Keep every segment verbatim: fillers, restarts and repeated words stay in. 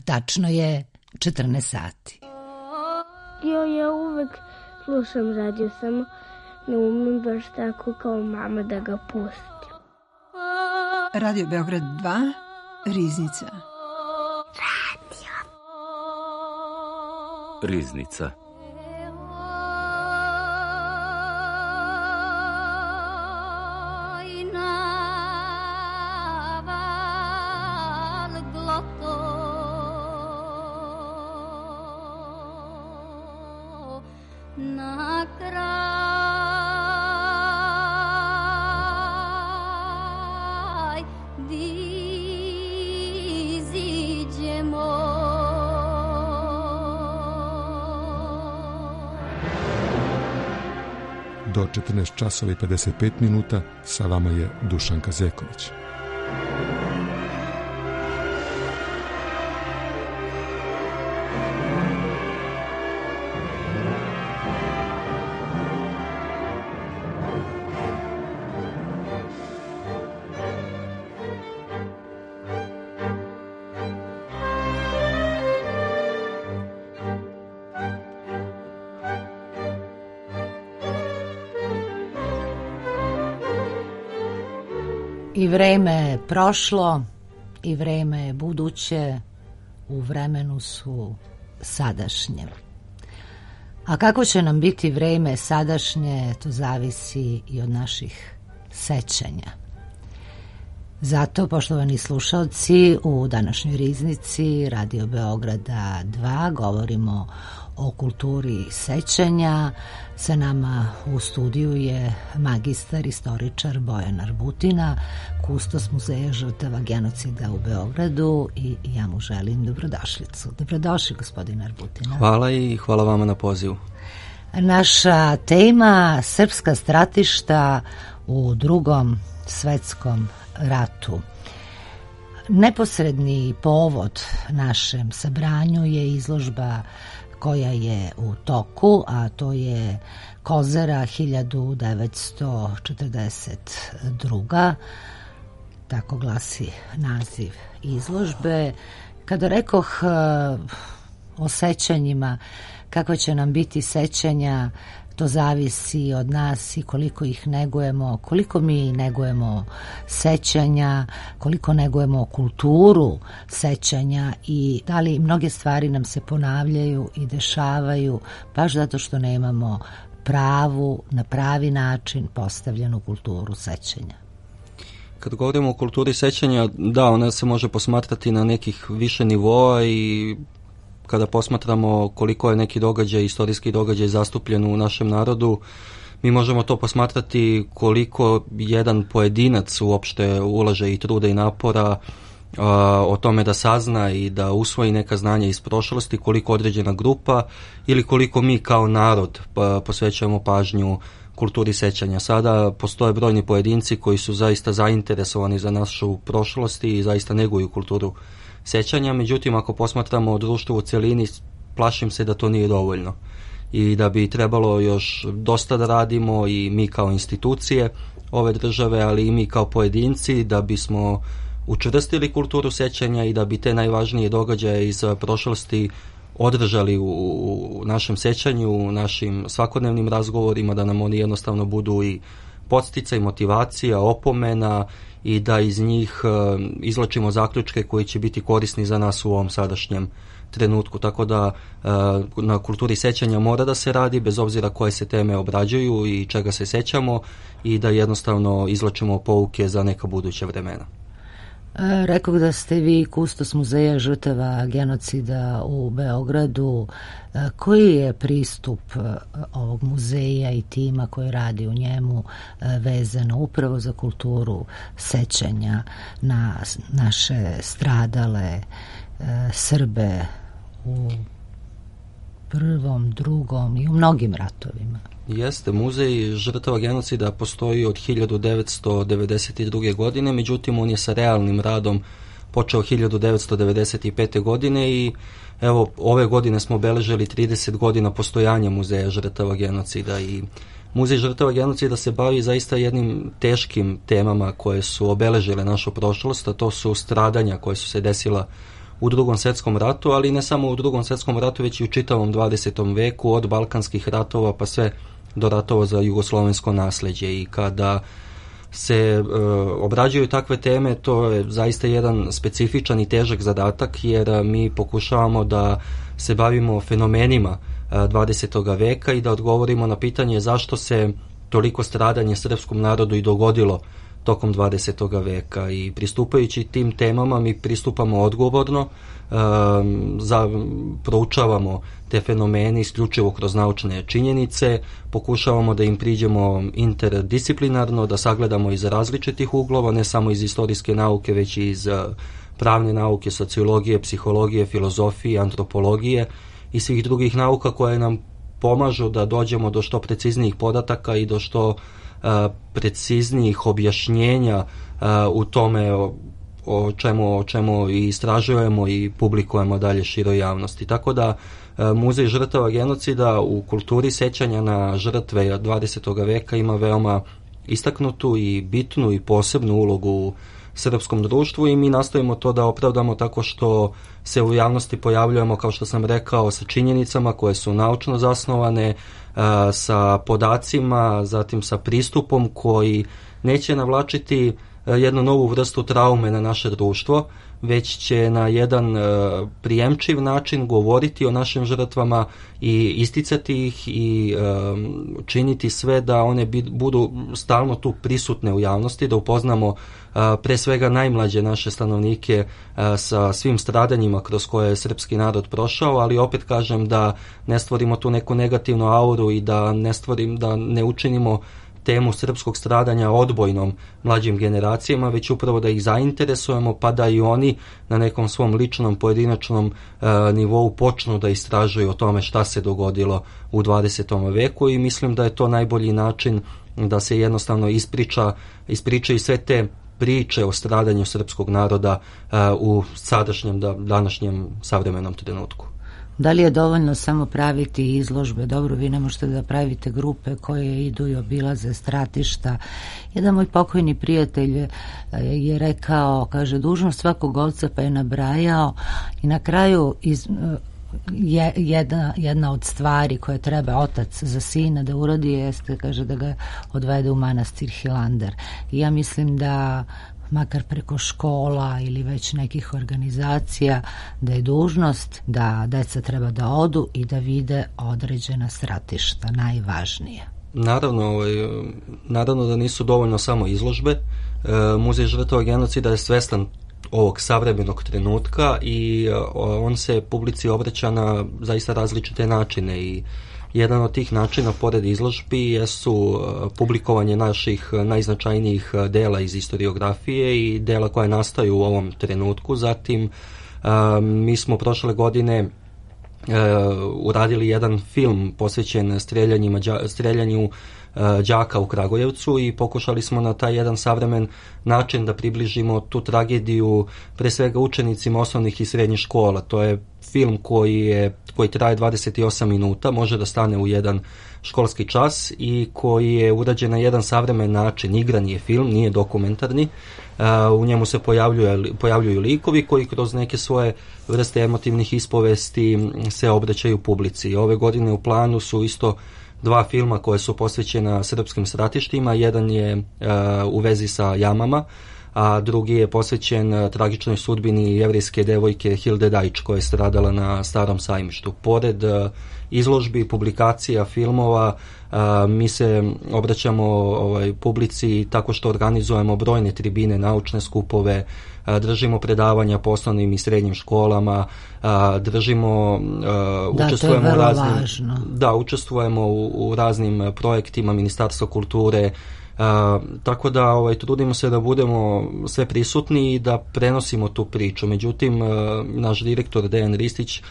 Tačno je četrnaest sati. Jo, ja uvek slušam radio, samo ne umem baš tako kao mama da ga pustim. Radio Beograd dva, Riznica. Radio. Riznica. Do četrnaest časova i pedeset pet minuta sa vama je Dušan Kazeković. I vreme je prošlo, i vreme je buduće, u vremenu su sadašnje. A kako će nam biti vreme sadašnje, to zavisi i od naših sećanja. Zato, poštovani slušalci, u današnjoj Riznici Radio Beograda dva govorimo o kulturi sećanja. Sa nama u studiju je magistar, istoričar Bojan Arbutina, kustos Muzeja žrtava genocida u Beogradu, i ja mu želim dobrodošlicu. Dobrodošli, gospodin Arbutina. Hvala i hvala vama na pozivu. Naša tema srpska stratišta u Drugom svetskom ratu. Neposredni povod našem sabranju je izložba koja je u toku, a to je Kozara hiljadu devetsto četrdeset druga. Tako glasi naziv izložbe. Kada rekoh o sećanjima, kako će nam biti sećanja, to zavisi od nas i koliko ih negujemo, koliko mi negujemo sećanja, koliko negujemo kulturu sećanja i da li mnoge stvari nam se ponavljaju i dešavaju baš zato što nemamo pravu, na pravi način postavljenu kulturu sećanja. Kad govorimo o kulturi sećanja, da, ona se može posmatrati na nekih više nivoa i kada posmatramo koliko je neki događaj, istorijski događaj zastupljen u našem narodu, mi možemo to posmatrati koliko jedan pojedinac uopšte ulaže i truda i napora a, o tome da sazna i da usvoji neka znanja iz prošlosti, koliko određena grupa ili koliko mi kao narod pa, posvećujemo pažnju kulturi sećanja. Sada postoje brojni pojedinci koji su zaista zainteresovani za našu prošlost i zaista neguju kulturu sećanja, međutim ako posmatramo društvo u celini, plašim se da to nije dovoljno i da bi trebalo još dosta da radimo i mi kao institucije ove države, ali i mi kao pojedinci, da bismo učvrstili kulturu sećanja i da bi te najvažnije događaje iz prošlosti održali u, u našem sećanju, u našim svakodnevnim razgovorima, da nam oni jednostavno budu i podsticaj, motivacija, opomena i da iz njih uh, izlačimo zaključke koji će biti korisni za nas u ovom sadašnjem trenutku. Tako da uh, na kulturi sećanja mora da se radi, bez obzira koje se teme obrađuju i čega se sećamo, i da jednostavno izlačimo pouke za neka buduća vremena. Rekao da ste vi kustos Muzeja žrtava genocida u Beogradu. Koji je pristup ovog muzeja i tima koji radi u njemu vezano upravo za kulturu sećanja na naše stradale Srbe u prvom, drugom i u mnogim ratovima? Jeste, muzej žrtava genocida postoji od hiljadu devetsto devedeset druge. godine, međutim on je sa realnim radom počeo hiljadu devetsto devedeset pete. godine i evo ove godine smo obeležili trideset godina postojanja Muzeja žrtava genocida i Muzej žrtava genocida se bavi zaista jednim teškim temama koje su obeležile našu prošlost, a to su stradanja koje su se desila u Drugom svjetskom ratu, ali ne samo u Drugom svjetskom ratu, već i u čitavom dvadesetom veku, od balkanskih ratova pa sve do ratova za jugoslovensko nasljeđe. I kada se e, obrađuju takve teme, to je zaista jedan specifičan i težak zadatak, jer mi pokušavamo da se bavimo fenomenima dvadesetog veka i da odgovorimo na pitanje zašto se toliko stradanje srpskom narodu i dogodilo tokom dvadesetog veka. I pristupajući tim temama mi pristupamo odgovorno, um, za, proučavamo te fenomene isključivo kroz naučne činjenice, pokušavamo da im priđemo interdisciplinarno, da sagledamo iz različitih uglova, ne samo iz istorijske nauke, već i iz pravne nauke, sociologije, psihologije, filozofije, antropologije i svih drugih nauka koje nam pomažu da dođemo do što preciznijih podataka i do što uh, preciznijih objašnjenja uh, u tome o, o, čemu, o čemu i istražujemo i publikujemo dalje široj javnosti. Tako da uh, Muzej žrtava genocida u kulturi sećanja na žrtve dvadesetog veka ima veoma istaknutu i bitnu i posebnu ulogu u srpskom društvu i mi nastojimo to da opravdamo tako što se u javnosti pojavljujemo, kao što sam rekao, sa činjenicama koje su naučno zasnovane, sa podacima, zatim sa pristupom koji neće navlačiti jednu novu vrstu traume na naše društvo, već će na jedan prijemčiv način govoriti o našim žrtvama i isticati ih i um, činiti sve da one budu stalno tu prisutne u javnosti, da upoznamo uh, pre svega najmlađe naše stanovnike uh, sa svim stradanjima kroz koje je srpski narod prošao, ali opet kažem da ne stvorimo tu neku negativnu auru i da ne stvorim, da ne učinimo temu srpskog stradanja odbojnom mlađim generacijama, već upravo da ih zainteresujemo pa da i oni na nekom svom ličnom, pojedinačnom e, nivou počnu da istražuju o tome šta se dogodilo u dvadesetom veku i mislim da je to najbolji način da se jednostavno ispriča, ispričaju sve te priče o stradanju srpskog naroda e, u sadašnjem, da, današnjem savremenom trenutku. Da li je dovoljno samo praviti izložbe? Dobro, vi ne možete da pravite grupe koje idu i obilaze stratišta. Jedan moj pokojni prijatelj je rekao, kaže, dužnost svakog oca, pa je nabrajao i na kraju iz, je, jedna, jedna od stvari koje treba otac za sina da uradi jeste, kaže, da ga odvede u manastir Hilandar. I ja mislim da makar preko škola ili već nekih organizacija, da je dužnost da deca treba da odu i da vide određena stratišta, najvažnije. Naravno, ovaj, naravno da nisu dovoljno samo izložbe. E, Muzej žrtava genocida je svestan ovog savremenog trenutka i on se publici obraća na zaista različite načine i jedan od tih načina, pored izložbi, jesu publikovanje naših najznačajnijih dela iz historiografije i dela koje nastaju u ovom trenutku. Zatim, mi smo prošle godine uradili jedan film posvećen streljanjima, streljanju đaka u Kragujevcu i pokušali smo na taj jedan savremen način da približimo tu tragediju pre svega učenicima osnovnih i srednjih škola. To je film koji, je, koji traje dvadeset osam minuta, može da stane u jedan školski čas i koji je urađen na jedan savremen način. Igran je film, nije dokumentarni. Uh, u njemu se pojavljuje, pojavljuju likovi koji kroz neke svoje vrste emotivnih ispovesti se obraćaju publici. Ove godine u planu su isto dva filma koje su posvećena srpskim stratištima. Jedan je uh, u vezi sa jamama, a drugi je posvećen uh, tragičnoj sudbini jevrijske devojke Hilde Dajč koja je stradala na Starom sajmištu. Pored uh, izložbi, publikacija, filmova, uh, mi se obraćamo ovaj, publici tako što organizujemo brojne tribine, naučne skupove, uh, držimo predavanja po osnovnim i srednjim školama, uh, držimo, uh, da, učestvujemo u raznim, važno. Da, učestvujemo u, u raznim projektima Ministarstva kulture. Uh, tako da ovaj, trudimo se da budemo sve prisutni i da prenosimo tu priču. Međutim, uh, naš direktor Dejan Ristić uh,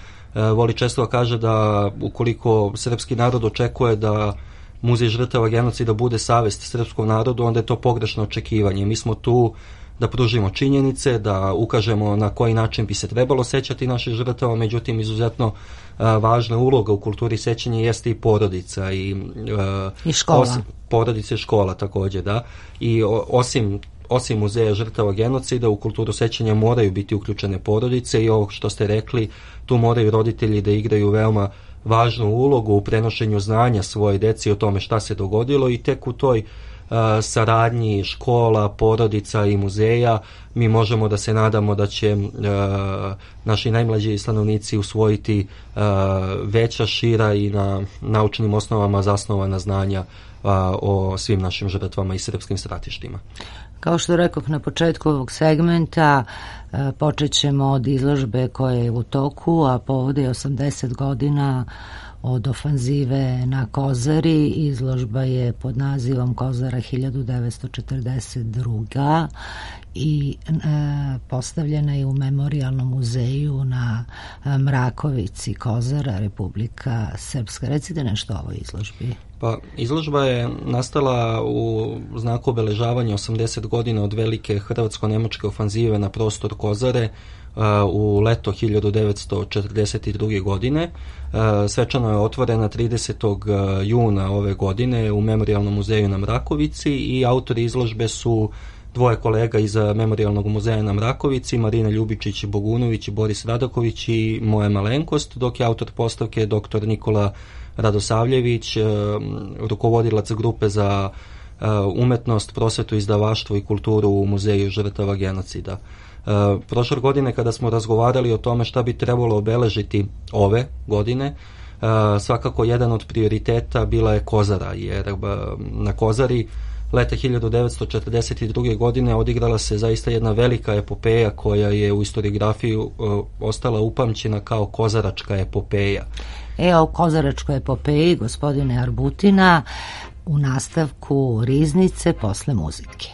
voli često da kaže da ukoliko srpski narod očekuje da Muzej žrtava genocida bude savest srpskom narodu, onda je to pogrešno očekivanje. Mi smo tu da pružimo činjenice, da ukažemo na koji način bi se trebalo sećati naših žrtava, međutim izuzetno a, važna uloga u kulturi sećanja jeste i porodica i, a, I škola. Osim, porodica i škola takođe, da. I o, osim osim muzeja žrtava genocida, u kulturu sećanja moraju biti uključene porodice i ovo što ste rekli, tu moraju roditelji da igraju veoma važnu ulogu u prenošenju znanja svoje deci o tome šta se dogodilo i tek u toj uh, saradnji škola, porodica i muzeja mi možemo da se nadamo da će uh, naši najmlađi stanovnici usvojiti uh, veća, šira i na naučnim osnovama zasnovana znanja uh, o svim našim žrtvama i srpskim stratištima. Kao što rekoh na početku ovog segmenta, počet ćemo od izložbe koja je u toku, a povode je osamdeset godina od ofanzive na Kozari. Izložba je pod nazivom Kozara hiljadu devetsto četrdeset druga i e, postavljena je u Memorijalnom muzeju na Mrakovici, Kozara, Republika Srpska. Recite nešto o ovoj izložbi. Pa, izložba je nastala u znaku obeležavanja osamdeset godina od velike hrvatsko-nemačke ofanzive na prostor Kozare uh, u leto hiljadu devetsto četrdeset druge. godine. Uh, svečano je otvorena tridesetog juna ove godine u Memorijalnom muzeju na Mrakovici i autori izložbe su dvoje kolega iz Memorijalnog muzeja na Mrakovici, Marina Ljubičić-Bogunović i Boris Radaković i moja malenkost, dok je autor postavke doktor Nikola Radosavljević, rukovodilac grupe za umetnost, prosvetu, izdavaštvo i kulturu u Muzeju žrtava genocida. Prošle godine kada smo razgovarali o tome šta bi trebalo obeležiti ove godine, svakako jedan od prioriteta bila je Kozara, jer na Kozari leta hiljadu devetsto četrdeset druge. godine odigrala se zaista jedna velika epopeja koja je u historiografiji ostala upamćena kao Kozaračka epopeja. E, o Kozaračkoj epopeji gospodine Arbutina u nastavku Riznice posle muzike.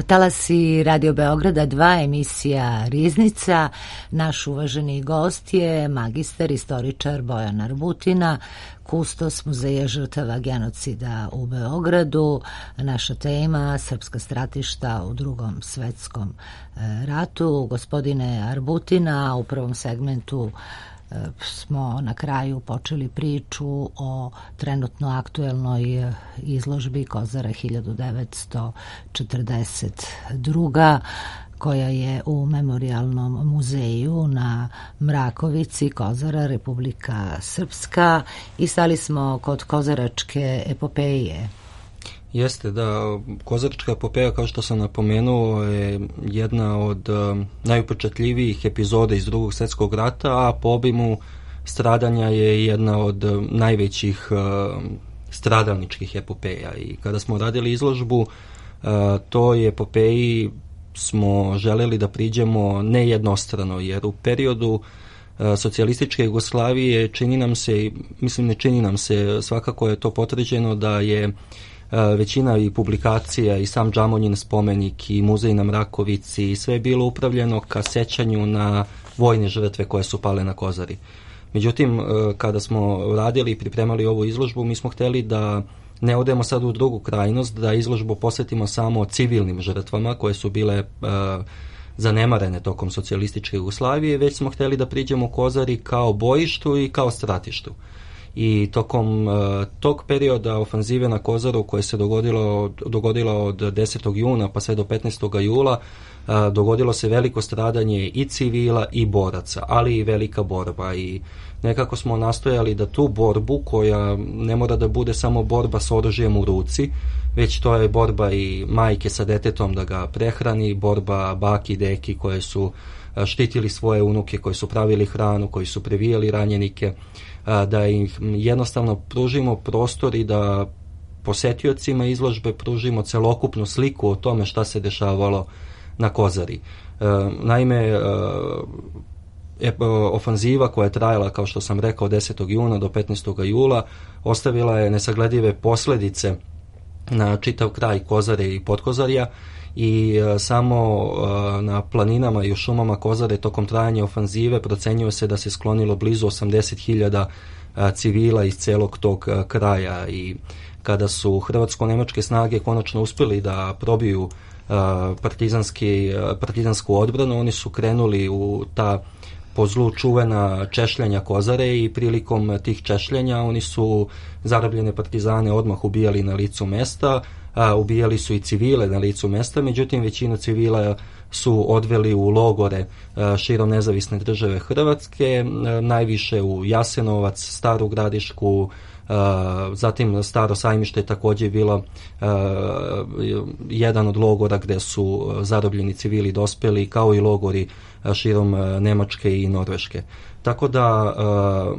Talasi Radio Beograda dva, emisija Riznica. Naš uvaženi gost je magistar, istoričar Bojan Arbutina, kustos Muzeja žrtava genocida u Beogradu. Naša tema srpska stratišta u Drugom svetskom ratu. Gospodine Arbutina, u prvom segmentu smo na kraju počeli priču o trenutno aktuelnoj izložbi Kozara hiljadu devetsto četrdeset druga. koja je u Memorijalnom muzeju na Mrakovici, Kozara, Republika Srpska, i stali smo kod Kozaračke epopeje. Jeste, da, Kozaračka epopeja, kao što sam napomenuo, je jedna od um, najupečatljivijih epizoda iz Drugog svjetskog rata, a po obimu stradanja je jedna od um, najvećih um, stradalničkih epopeja. I kada smo radili izložbu uh, toj epopeji smo želeli da priđemo nejednostrano, jer u periodu uh, socijalističke Jugoslavije čini nam se, mislim ne čini nam se, svakako je to potvrđeno da je većina i publikacija i sam Džamonjin spomenik i muzej na Mrakovici i sve je bilo upravljeno ka sećanju na vojne žrtve koje su pale na Kozari. Međutim, kada smo radili i pripremali ovu izložbu, mi smo htjeli da ne odemo sad u drugu krajnost, da izložbu posvetimo samo civilnim žrtvama koje su bile uh, zanemarene tokom socijalističke Jugoslavije, već smo htjeli da priđemo Kozari kao bojištu i kao stratištu. I tokom uh, tog perioda ofanzive na Kozaru koje se dogodilo, dogodilo od desetog juna pa sve do petnaestog jula, uh, dogodilo se veliko stradanje i civila i boraca, ali i velika borba i nekako smo nastojali da tu borbu, koja ne mora da bude samo borba s oružjem u ruci, već to je borba i majke sa detetom da ga prehrani, borba baki i deki koje su štitili svoje unuke, koji su pravili hranu, koji su previjali ranjenike, da im jednostavno pružimo prostor i da posetiocima izložbe pružimo celokupnu sliku o tome šta se dešavalo na Kozari. Naime, ofanziva koja je trajala, kao što sam rekao, od desetog juna do petnaestog jula, ostavila je nesagledive posljedice na čitav kraj Kozare i Podkozarja i uh, samo uh, na planinama i u šumama Kozare tokom trajanja ofanzive procenjuje se da se sklonilo blizu osamdeset hiljada uh, civila iz celog tog uh, kraja i kada su hrvatsko-nemačke snage konačno uspjeli da probiju uh, partizanski, uh, partizansku odbranu, oni su krenuli u ta po zlu čuvena češljanja Kozare i prilikom tih češljanja oni su zarobljene partizane odmah ubijali na licu mesta, a, ubijali su i civile na licu mesta, međutim većinu civila su odveli u logore a, širom nezavisne države Hrvatske, a, najviše u Jasenovac, Staru Gradišku, a, zatim Staro Sajmište je također bilo a, jedan od logora gdje su zarobljeni civili dospeli, kao i logori širom Nemačke i Norveške. Tako da uh,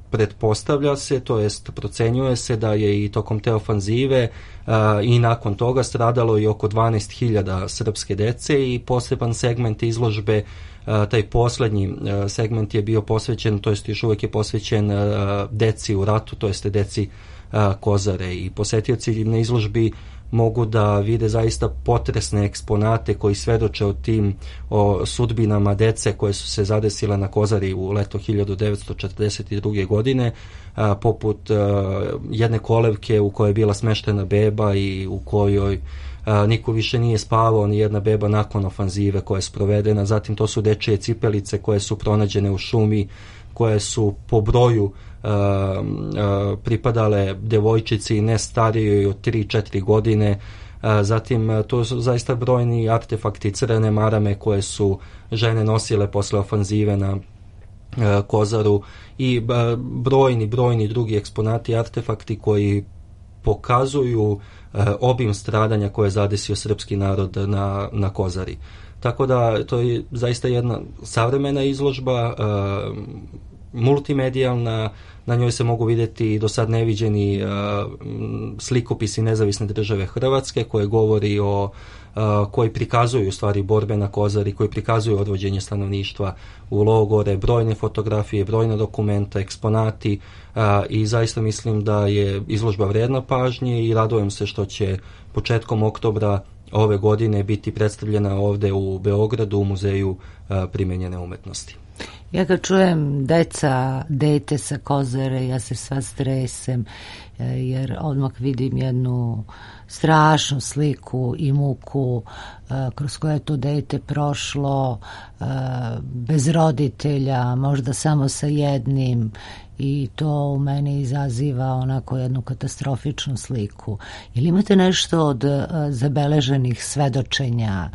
pretpostavlja se, to jest procenjuje se da je i tokom te ofanzive uh, i nakon toga stradalo i oko dvanaest hiljada srpske dece i poseban segment izložbe, uh, taj posljednji uh, segment je bio posvećen, to jest još uvijek je posvećen uh, deci u ratu, to jest deci uh, Kozare i posetioci na izložbi mogu da vide zaista potresne eksponate koji svedoče o tim o sudbinama dece koje su se zadesile na Kozari u leto hiljadu devetsto četrdeset druge. godine, a, poput a, jedne kolevke u kojoj je bila smeštena beba i u kojoj a, niko više nije spavao, ni jedna beba nakon ofanzive koja je sprovedena. Zatim to su dečije cipelice koje su pronađene u šumi, koje su po broju Uh, uh, pripadale devojčici ne starijoj od tri četiri godine. Uh, zatim uh, to su zaista brojni artefakti, crvene marame koje su žene nosile posle ofanzive na uh, Kozaru i uh, brojni, brojni drugi eksponati, artefakti koji pokazuju uh, obim stradanja koje je zadesio srpski narod na, na Kozari. Tako da to je zaista jedna savremena izložba, uh, multimedijalna, na njoj se mogu vidjeti do sad neviđeni uh, slikopisi nezavisne države Hrvatske koje govori o uh, koji prikazuju u stvari borbe na Kozari, koji prikazuju odvođenje stanovništva u logore, brojne fotografije, brojna dokumenta, eksponati uh, i zaista mislim da je izložba vredna pažnje i radujem se što će početkom oktobra ove godine biti predstavljena ovdje u Beogradu u Muzeju uh, primenjene umetnosti. Ja kad čujem deca, dete sa Kozare, ja se sva stresem, jer odmah vidim jednu strašnu sliku i muku kroz koje je to dete prošlo, bez roditelja, možda samo sa jednim, i to u meni izaziva onako jednu katastrofičnu sliku. Ili imate nešto od zabeleženih svedočenja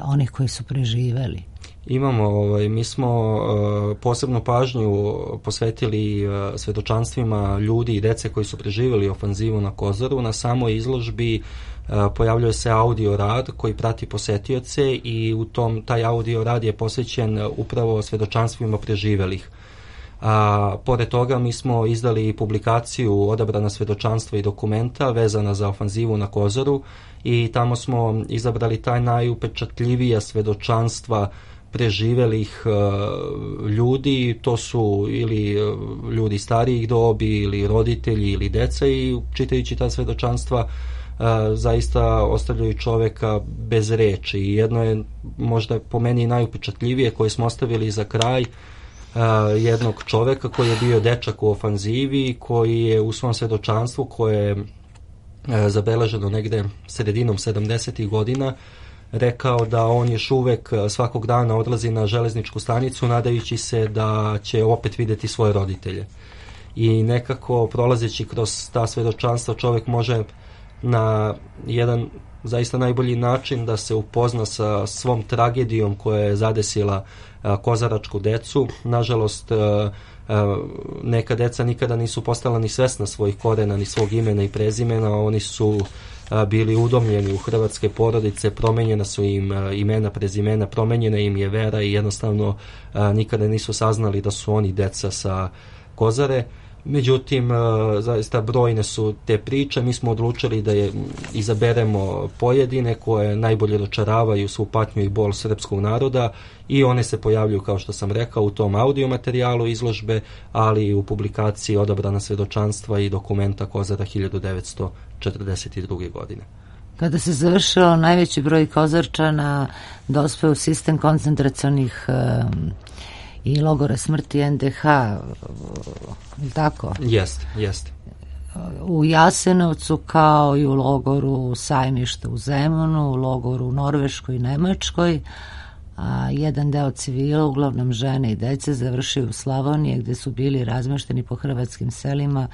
onih koji su preživeli? Imamo, ovaj, mi smo uh, posebnu pažnju posvetili uh, svedočanstvima ljudi i dece koji su preživjeli ofanzivu na Kozaru. Na samoj izložbi uh, pojavljuje se audio rad koji prati posetioce i u tom taj audio rad je posvećen upravo svedočanstvima preživjelih. A pored toga mi smo izdali publikaciju Odabrana svedočanstva i dokumenta vezana za ofanzivu na Kozaru i tamo smo izabrali taj najupečatljivija svedočanstva preživelih ljudi, to su ili ljudi starijih dobi ili roditelji ili deca, i čitajući ta svedočanstva zaista ostavljaju čoveka bez reči. I jedno je možda po meni najupečatljivije koje smo ostavili za kraj, jednog čoveka koji je bio dečak u ofanzivi, koji je u svom svedočanstvu, koje je zabeleženo negde sredinom sedamdesetih godina, rekao da on još uvek svakog dana odlazi na železničku stanicu nadajući se da će opet videti svoje roditelje. I nekako prolazeći kroz ta svedočanstva čovek može na jedan zaista najbolji način da se upozna sa svom tragedijom koja je zadesila kozaračku decu. Nažalost, neka deca nikada nisu postala ni svesna svojih korena, ni svog imena i prezimena. Oni su bili udomljeni u hrvatske porodice, promenjena su im imena, prezimena, promenjena im je vera i jednostavno nikada nisu saznali da su oni deca sa Kozare. Međutim, zaista brojne su te priče. Mi smo odlučili da je izaberemo pojedine koje najbolje dočaravaju svu patnju i bol srpskog naroda, i one se pojavljuju, kao što sam rekao, u tom audio materijalu izložbe, ali i u publikaciji Odabrana svedočanstva i dokumenta Kozara hiljadu devetsto četrdeset druge. godine. Kada se završio najveći broj Kozarčana dospeo u sistem koncentracionih um, i logora smrti en de ha, ili tako? Jeste, jeste. U Jasenovcu kao i u logoru Sajmišta u Zemunu, u logoru u Norveškoj i Nemačkoj, a jedan deo civila, uglavnom žene i dece, završio u Slavoniji, gde su bili razmešteni po hrvatskim selima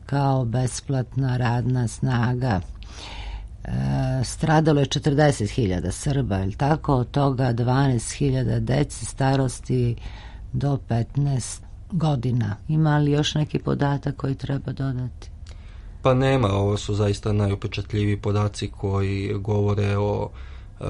kao besplatna radna snaga. E, stradalo je četrdeset hiljada Srba, ili tako? Od toga dvanaest hiljada dece starosti do petnaest godina. Ima li još neki podatak koji treba dodati? Pa nema, ovo su zaista najupečatljiviji podaci koji govore o e,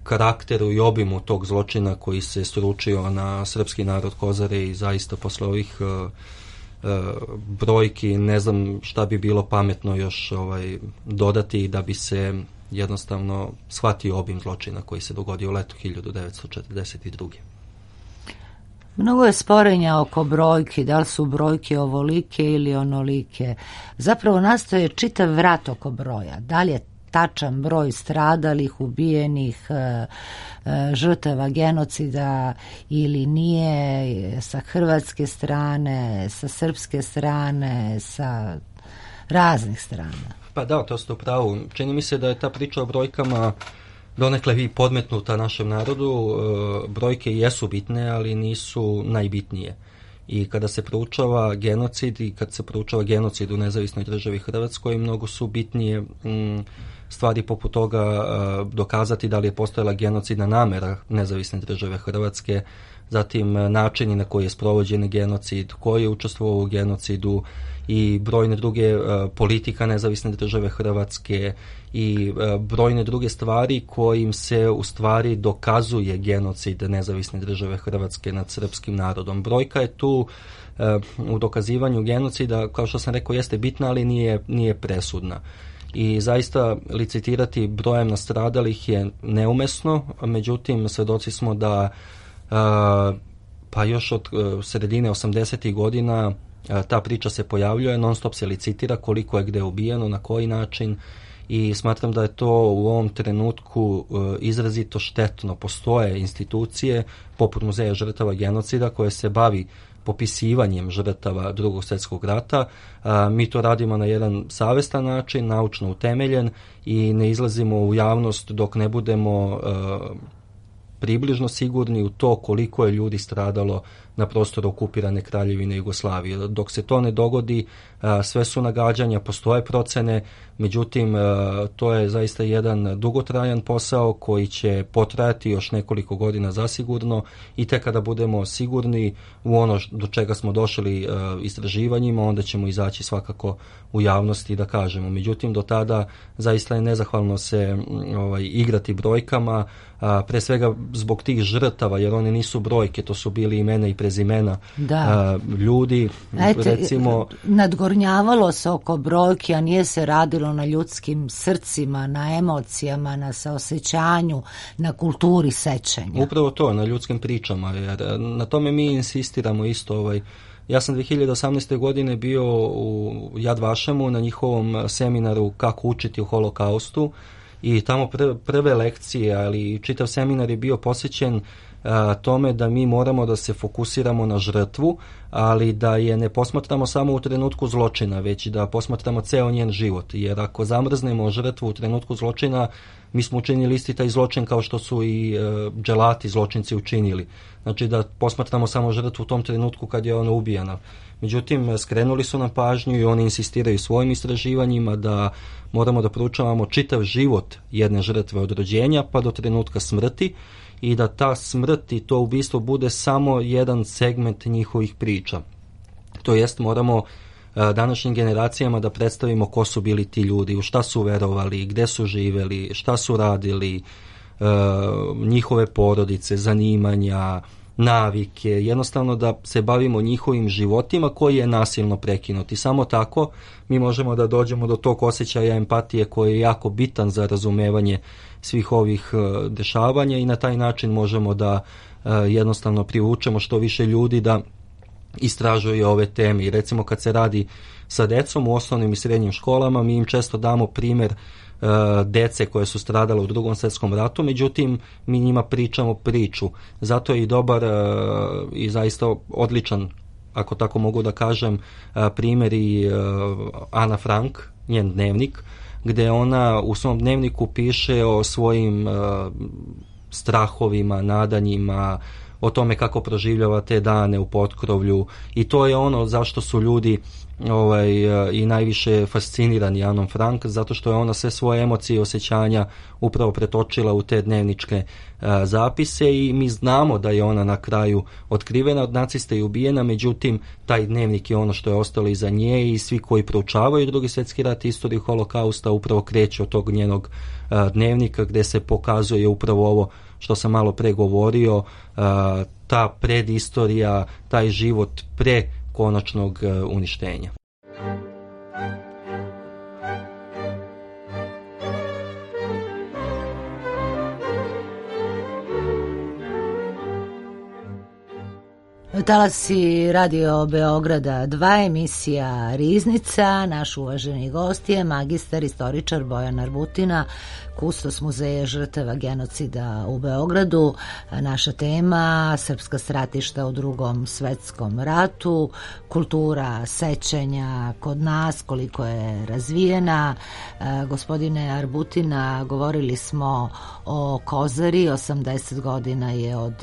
karakteru i obimu tog zločina koji se sručio na srpski narod Kozare, i zaista posle ovih e, e, brojki ne znam šta bi bilo pametno još ovaj, dodati da bi se jednostavno shvatio obim zločina koji se dogodio u letu hiljadu devetsto četrdeset druge. Mnogo je sporenja oko brojki, da li su brojke ovolike ili onolike. Zapravo nastaje čitav vrat oko broja. Da li je tačan broj stradalih, ubijenih, žrtava genocida ili nije, sa hrvatske strane, sa srpske strane, sa raznih strana? Pa da, to ste u pravu. Čini mi se da je ta priča o brojkama donekle i podmetnuta našem narodu. Brojke jesu bitne, ali nisu najbitnije. I kada se proučava genocid i kad se proučava genocid u nezavisnoj državi Hrvatskoj, mnogo su bitnije stvari poput toga dokazati da li je postojala genocidna namera nezavisne države Hrvatske, zatim načini na koji je sprovođen genocid, ko je učestvovao u genocidu i brojne druge uh, politika nezavisne države Hrvatske i uh, brojne druge stvari kojim se u stvari dokazuje genocid nezavisne države Hrvatske nad srpskim narodom. Brojka je tu uh, u dokazivanju genocida, kao što sam rekao, jeste bitna, ali nije, nije presudna. I zaista licitirati brojem nastradalih je neumesno, međutim svedoci smo da uh, pa još od uh, sredine osamdesetih godina ta priča se pojavljuje, non stop se licitira koliko je gde ubijeno, na koji način, i smatram da je to u ovom trenutku izrazito štetno. Postoje institucije poput Muzeja žrtava genocida koje se bavi popisivanjem žrtava Drugog svjetskog rata. Mi to radimo na jedan savestan način, naučno utemeljen, i ne izlazimo u javnost dok ne budemo približno sigurni u to koliko je ljudi stradalo na prostoru okupirane Kraljevine Jugoslavije. Dok se to ne dogodi, sve su nagađanja, postoje procene, međutim to je zaista jedan dugotrajan posao koji će potrajati još nekoliko godina zasigurno, i tek kada budemo sigurni u ono do čega smo došli istraživanjima, onda ćemo izaći svakako u javnosti da kažemo. Međutim, do tada zaista je nezahvalno se ovaj, igrati brojkama, a, pre svega zbog tih žrtava, jer oni nisu brojke, to su bili imena i prezimena da. a, ljudi. Ete, recimo, nadgornjavalo se oko brojke, a nije se radilo na ljudskim srcima, na emocijama, na saosećanju, na kulturi sećanja. Upravo to, na ljudskim pričama, jer na tome mi insistiramo isto. Ovaj, ja sam dve hiljade osamnaeste. godine bio u Yad Vashemu na njihovom seminaru Kako učiti o holokaustu i tamo pr- prve lekcije, ali čitav seminar je bio posvećen a, tome da mi moramo da se fokusiramo na žrtvu, ali da je ne posmatramo samo u trenutku zločina, već da posmatramo ceo njen život, jer ako zamrznemo žrtvu u trenutku zločina, mi smo učinili isti taj zločin kao što su i e, dželati zločinci učinili. Znači da posmatramo samo žrtvu u tom trenutku kad je ona ubijana. Međutim, skrenuli su nam pažnju i oni insistiraju svojim istraživanjima da moramo da proučavamo čitav život jedne žrtve od rođenja pa do trenutka smrti i da ta smrt i to ubistvo bude samo jedan segment njihovih priča. To jest, moramo današnjim generacijama da predstavimo ko su bili ti ljudi, u šta su verovali, gde su živeli, šta su radili, njihove porodice, zanimanja, navike, jednostavno da se bavimo njihovim životima koji je nasilno prekinut. I samo tako mi možemo da dođemo do tog osjećaja empatije koji je jako bitan za razumevanje svih ovih dešavanja i na taj način možemo da jednostavno privučemo što više ljudi da istražuju ove teme. I recimo kad se radi sa decom u osnovnim i srednjim školama, mi im često damo primer uh, dece koje su stradale u Drugom svjetskom ratu, međutim mi njima pričamo priču. Zato je i dobar uh, i zaista odličan, ako tako mogu da kažem, uh, primjer i uh, Ana Frank, njen dnevnik, gde ona u svom dnevniku piše o svojim uh, strahovima, nadanjima, o tome kako proživljava te dane u potkrovlju i to je ono zašto su ljudi ovaj, i najviše fascinirani Anom Frank, zato što je ona sve svoje emocije i osjećanja upravo pretočila u te dnevničke a, zapise i mi znamo da je ona na kraju otkrivena od nacista i ubijena, međutim taj dnevnik je ono što je ostalo iza nje i svi koji proučavaju Drugi svjetski rat i istoriju holokausta upravo kreću od tog njenog a, dnevnika gde se pokazuje upravo ovo što sam malo pre govorio, a, ta predistorija, taj život pre konačnog a, uništenja. Talasi Radio Beograda dva, emisija Riznica. Naš uvaženi gost je magistar istoričar Bojan Arbutina, kustos Muzeja žrtava genocida u Beogradu. Naša tema: srpska stratišta u Drugom svetskom ratu, kultura sećanja kod nas, koliko je razvijena. Gospodine Arbutina, govorili smo o Kozari, osamdeset godina je od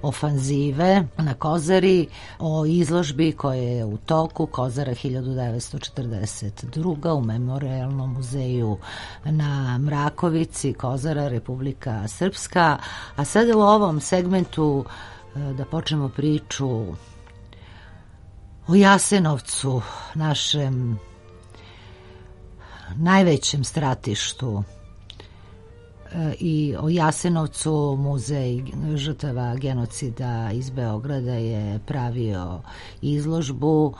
ofanzive na Kozari, o izložbi koja je u toku, Kozara hiljadu devetsto četrdeset druga. u Memorijalnom muzeju na Mrakovici, Kozara, Republika Srpska. A sada u ovom segmentu da počnemo priču o Jasenovcu, našem najvećem stratištu, i o Jasenovcu. Muzej žrtava genocida iz Beograda je pravio izložbu,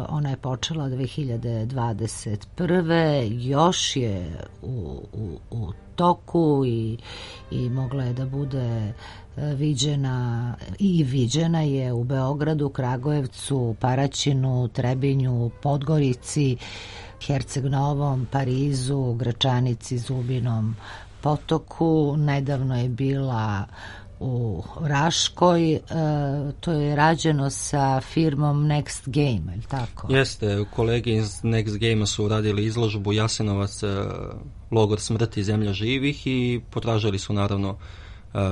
ona je počela dve hiljade dvadeset prve. još je u, u, u toku i, i mogla je da bude viđena i viđena je u Beogradu, Kragujevcu, Paraćinu, Trebinju, Podgorici, Herceg Novom, Parizu, Gračanici, Zubinom Potoku. Nedavno je bila u Raškoj, e, to je rađeno sa firmom Next Game, je li tako? Jeste, kolege iz Next Game su radili izložbu Jasenovac, logor smrti, zemlja živih i potražili su naravno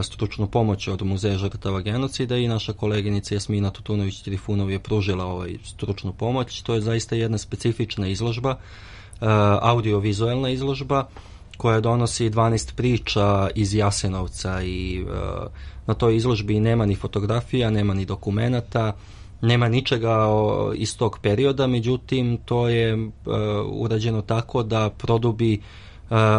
stručnu pomoć od Muzeja žrtava genocida i naša koleginica Jasmina Tutunović-Trifunov je pružila ovaj stručnu pomoć. To je zaista jedna specifična izložba, audiovizualna izložba koja donosi dvanaest priča iz Jasenovca i uh, na toj izložbi nema ni fotografija, nema ni dokumenata, nema ničega o, iz tog perioda, međutim to je uh, urađeno tako da produbi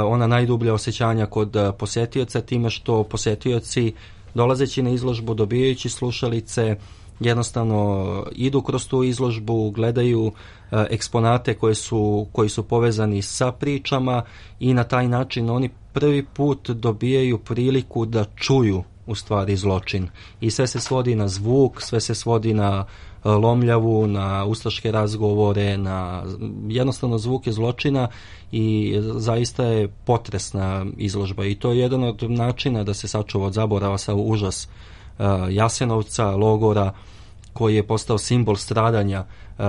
ona najdublja osjećanja kod posjetioca, time što posjetioci dolazeći na izložbu, dobijajući slušalice, jednostavno idu kroz tu izložbu, gledaju eksponate koje su, koji su povezani sa pričama i na taj način oni prvi put dobijaju priliku da čuju u stvari zločin. I sve se svodi na zvuk, sve se svodi na lomljavu, na ustaške razgovore, na jednostavno zvuke zločina i zaista je potresna izložba i to je jedan od načina da se sačuva od zaborava sa užas uh, Jasenovca, logora koji je postao simbol stradanja uh,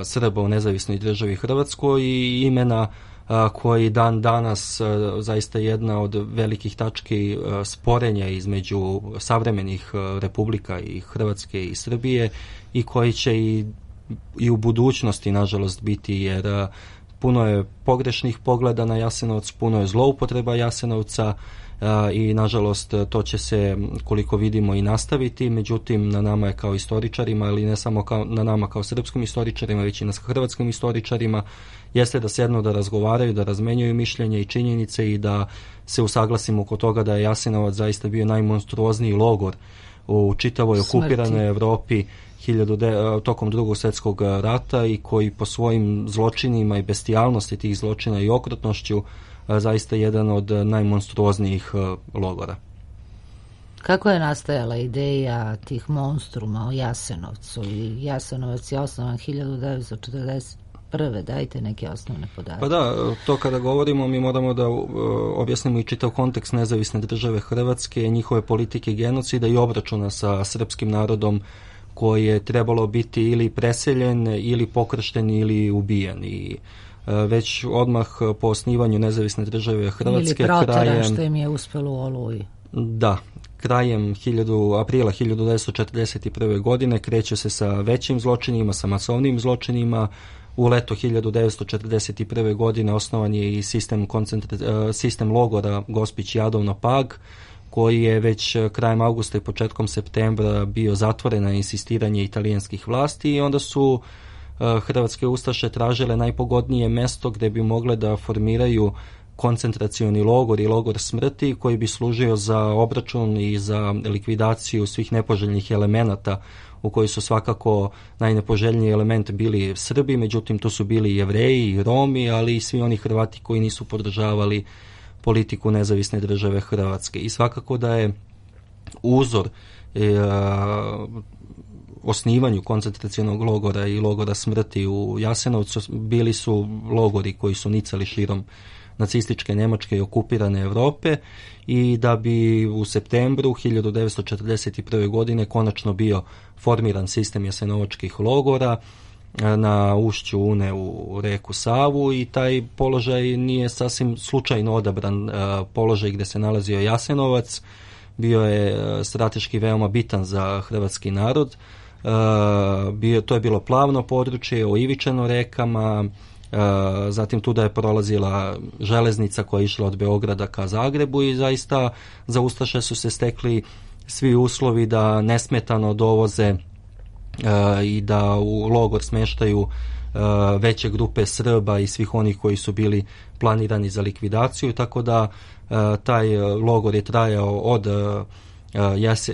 Srba u nezavisnoj državi Hrvatskoj i imena uh, koji dan danas uh, zaista jedna od velikih tački uh, sporenja između savremenih uh, republika i Hrvatske i Srbije i koji će i, i u budućnosti nažalost biti jer uh, puno je pogrešnih pogleda na Jasenovac, puno je zloupotreba Jasenovca uh, i nažalost to će se koliko vidimo i nastaviti, međutim na nama je kao istoričarima, ali ne samo kao, na nama kao srpskim istoričarima, već i na hrvatskim istoričarima, jeste da sednu da razgovaraju, da razmenjuju mišljenje i činjenice i da se usaglasimo oko toga da je Jasenovac zaista bio najmonstruozniji logor u čitavoj okupiranoj Evropi hiljadu de, tokom drugog svjetskog rata i koji po svojim zločinima i bestijalnosti tih zločina i okrutnošću zaista jedan od najmonstruoznijih logora. Kako je nastajala ideja tih monstruma o Jasenovcu? I Jasenovac je osnovan hiljadu devetsto četrdeset prve. Dajte neke osnovne podatke. Pa da, to kada govorimo mi moramo da uh, objasnimo i čitav kontekst nezavisne države Hrvatske, njihove politike genocida i obračuna sa srpskim narodom koji je trebalo biti ili preseljen, ili pokršten, ili ubijen. I uh, već odmah po osnivanju nezavisne države Hrvatske... Ili proteran, krajem, što im je uspelo u Oluji. Da, krajem hiljadu, aprila hiljadu devetsto četrdeset prve. godine kreće se sa većim zločinima, sa masovnim zločinima. U leto hiljadu devetsto četrdeset prve. godine osnovan je i sistem, koncentra... sistem logora Gospić Jadovno Pag, koji je već krajem augusta i početkom septembra bio zatvoren na insistiranje italijanskih vlasti i onda su hrvatske ustaše tražile najpogodnije mesto gde bi mogle da formiraju koncentracioni logor i logor smrti koji bi služio za obračun i za likvidaciju svih nepoželjnih elemenata u koji su svakako najnepoželjniji element bili Srbi, međutim tu su bili i Jevreji i Romi, ali i svi oni Hrvati koji nisu podržavali politiku nezavisne države Hrvatske. I svakako da je uzor e, osnivanju koncentracionog logora i logora smrti u Jasenovcu bili su logori koji su nicali širom nacističke Njemačke i okupirane Evrope i da bi u septembru hiljadu devetsto četrdeset prve. godine konačno bio formiran sistem jasenovačkih logora na ušću Une u reku Savu i taj položaj nije sasvim slučajno odabran položaj gde se nalazio Jasenovac, bio je strateški veoma bitan za hrvatski narod, bio, to je bilo plavno područje, oivičeno rekama, zatim tu da je prolazila železnica koja je išla od Beograda ka Zagrebu i zaista za ustaše su se stekli svi uslovi da nesmetano dovoze i da u logor smeštaju veće grupe Srba i svih onih koji su bili planirani za likvidaciju, tako da taj logor je trajao od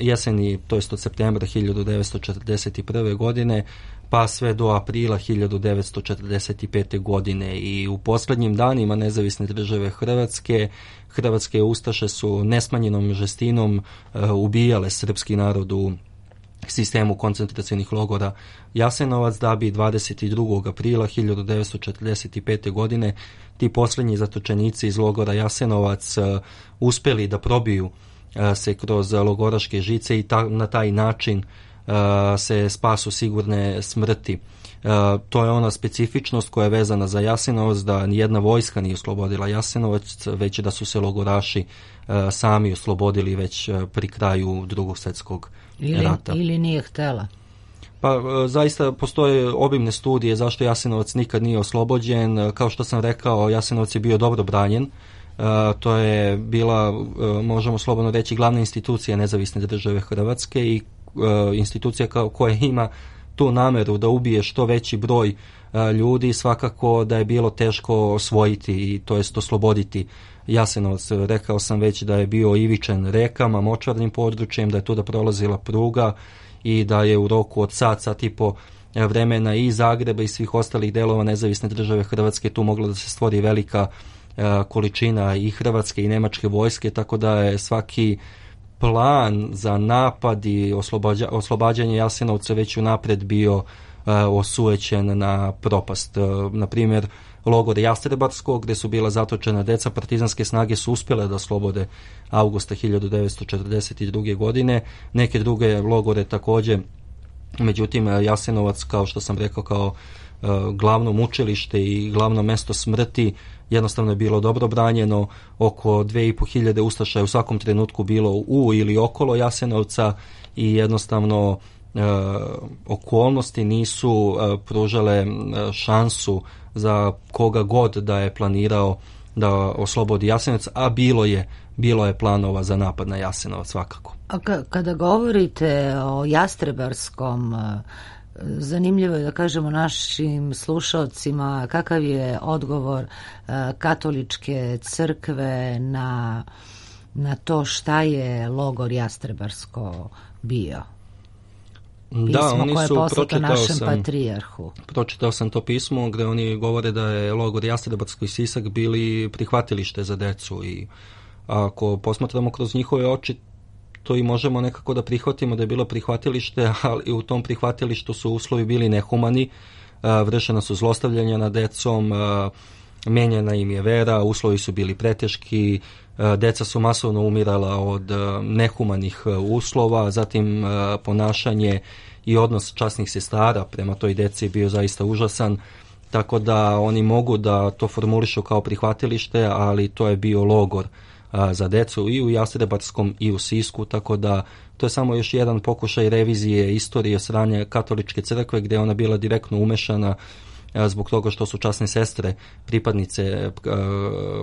jeseni, to jest od septembra hiljadu devetsto četrdeset prve. godine pa sve do aprila hiljadu devetsto četrdeset pete. godine i u posljednjim danima nezavisne države Hrvatske, hrvatske ustaše su nesmanjenom žestinom ubijale srpski narod u sistemu koncentracionih logora Jasenovac, da bi dvadeset drugog aprila hiljadu devetsto četrdeset pete. godine ti posljednji zatočenici iz logora Jasenovac uspeli da probiju se kroz logoraške žice i ta, na taj način uh, se spasu sigurne smrti. Uh, to je ona specifičnost koja je vezana za Jasenovac, da nijedna vojska nije oslobodila Jasenovac, već da su se logoraši uh, sami oslobodili već uh, pri kraju drugog svjetskog ili, rata. Ili nije htela? Pa zaista postoje obimne studije zašto Jasenovac nikad nije oslobođen. Kao što sam rekao, Jasenovac je bio dobro branjen. Uh, to je bila, uh, možemo slobodno reći, glavna institucija nezavisne države Hrvatske i uh, institucija kao, koja ima tu nameru da ubije što veći broj ljudi, svakako da je bilo teško osvojiti i to jest osloboditi Jasenovac. Rekao sam već da je bio ivičan rekama, močvarnim područjem, da je tu da prolazila pruga i da je u roku od sat, sat i po vremena i Zagreba i svih ostalih delova nezavisne države Hrvatske tu mogla da se stvori velika količina i hrvatske i nemačke vojske, tako da je svaki plan za napad i oslobađa, oslobađanje Jasenovca već unapred bio uh, osujećen na propast. Uh, na primjer, logor Jastrebarsko, gde su bila zatočena deca, partizanske snage su uspjele da oslobode avgusta hiljadu devetsto četrdeset druge. godine. Neke druge logore takođe, međutim Jasenovac, kao što sam rekao, kao uh, glavno mučilište i glavno mesto smrti, jednostavno je bilo dobro branjeno. Oko dve i po hiljade ustaša je u svakom trenutku bilo u ili okolo Jasenovca i jednostavno e, okolnosti nisu e, pružale e, šansu za koga god da je planirao da oslobodi Jasenovac, a bilo je bilo je planova za napad na Jasenovac svakako. A ka, kada govorite o Jastrebarskom, zanimljivo je da kažemo našim slušalcima kakav je odgovor uh, katoličke crkve na, na to šta je logor Jastrebarsko bio. Pismo da, oni koje je su, poslato našem sam, patrijarhu. Pročitao sam to pismo gde oni govore da je logor Jastrebarsko i Sisak bili prihvatilište za decu i ako posmatramo kroz njihove oči, to i možemo nekako da prihvatimo da je bilo prihvatilište, ali u tom prihvatilištu su uslovi bili nehumani, vršena su zlostavljanja nad decom, menjena im je vera, uslovi su bili preteški, deca su masovno umirala od nehumanih uslova, zatim ponašanje i odnos časnih sestara prema toj deci je bio zaista užasan, tako da oni mogu da to formulišu kao prihvatilište, ali to je bio logor za decu i u Jastrebarskom i u Sisku, tako da to je samo još jedan pokušaj revizije istorije sranja katoličke crkve gdje je ona bila direktno umešana zbog toga što su časne sestre, pripadnice